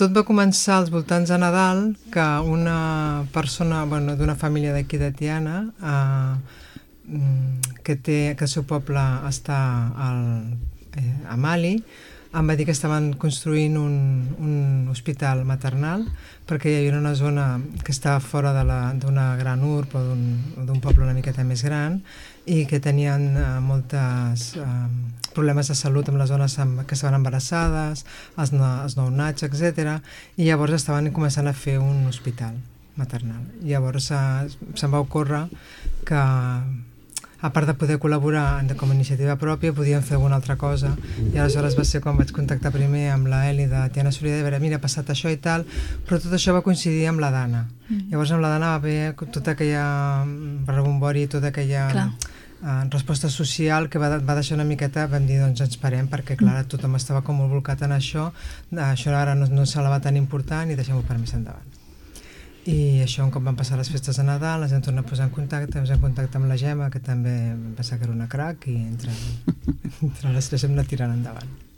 tot va començar als voltants de Nadal, que una persona, bueno, d'una família d'aquí de Tiana, que el seu poble està a Mali, em va dir que estaven construint un hospital maternal perquè hi havia una zona que estava fora d'una gran urb o d'un poble una miqueta més gran i que tenien moltes problemes de salut amb les dones que estaven embarassades, els nounats, etc. I llavors estaven començant a fer un hospital maternal. Llavors se'm va ocórrer que a part de poder col·laborar com a iniciativa pròpia, podíem fer alguna altra cosa. I aleshores va ser quan vaig contactar primer amb la Eli de Tiana Solidària, de veure, mira, ha passat això i tal, però tot això va coincidir amb la Dana. Llavors amb la Dana va haver tota aquella rebombori, tota aquella resposta social que va deixar una miqueta, vam dir, doncs ens parem, perquè clar, tothom estava com molt volcat en això ara no se la va tan important i deixem-ho per més endavant. I això, un cop van passar les festes de Nadal, ens vam tornar a posar en contacte, amb la Gemma, que també vam pensar que era una crac, i entre les tres hem anat tirant endavant.